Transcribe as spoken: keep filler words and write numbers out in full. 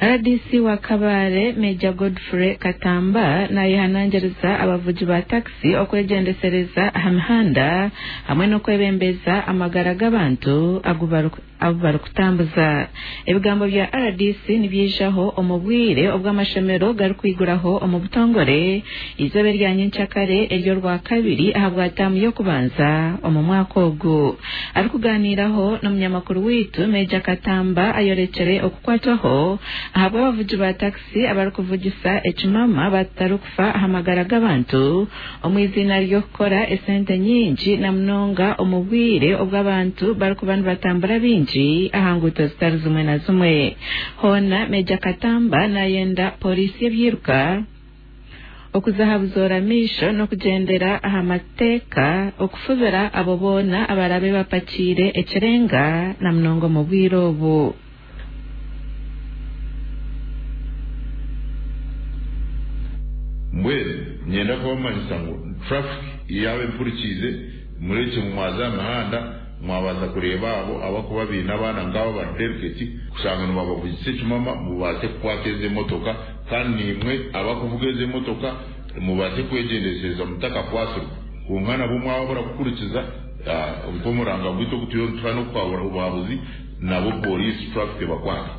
R D C wa Kabale, Major Godfrey Katamba, nayehanangiriza abavugi ba takisi okwegyendesereza aha mihanda hamwe n'okwebembeza amagara g'abantu agu barikutambuza. Ebigambo bya R D C nibyijaho omu bwire obw'amashomero garikwiguraho omu butongore izooba erya nyenkyakare ery'orwakabiri aha bwa taamu y'okubanza omu mwaka ogu. Arikuganiiraho n'omunyamakuru waitu, Major Katamba ayorekere okukwatwaho ahabw'abavugi ba takisi abarikuvugisa ekimama batarikufa aha magara g'abantu omu iziina ry'okukora esente nyingi, na munonga omu bwire obw'abantu barikuba nibatambura bingi aha nguuto zitari zimwe na zimwe. Hoona Major Katamba nayenda polisi y'ebyiruka okuza aha buzoora maisho n'okugyendera aha mateeka okufubira abo boona abarabe bapakiire ekirenga, na munonga omu bwire obu. Mbwenu nyenda kubamanyisa ngu traffic yaaba empurikiize, murekye mwaza aha mihanda, mwabaasa kureeba abo abakuba baine abaana nk'abo ba delicate, kushanga nibabavugisa ekimama, mubaase kukwata ezi emotoka. Kandi nimwe abakuvuga ezi emotoka mubaase kwegyendesereza mutakakwasirwe. Kwonka nabo mwaba murakukurikiza nk'omuranga gwaitu ogu turiyo nituha n'okuhabura obuhabuzi, nabo polisi traffic ebakwata.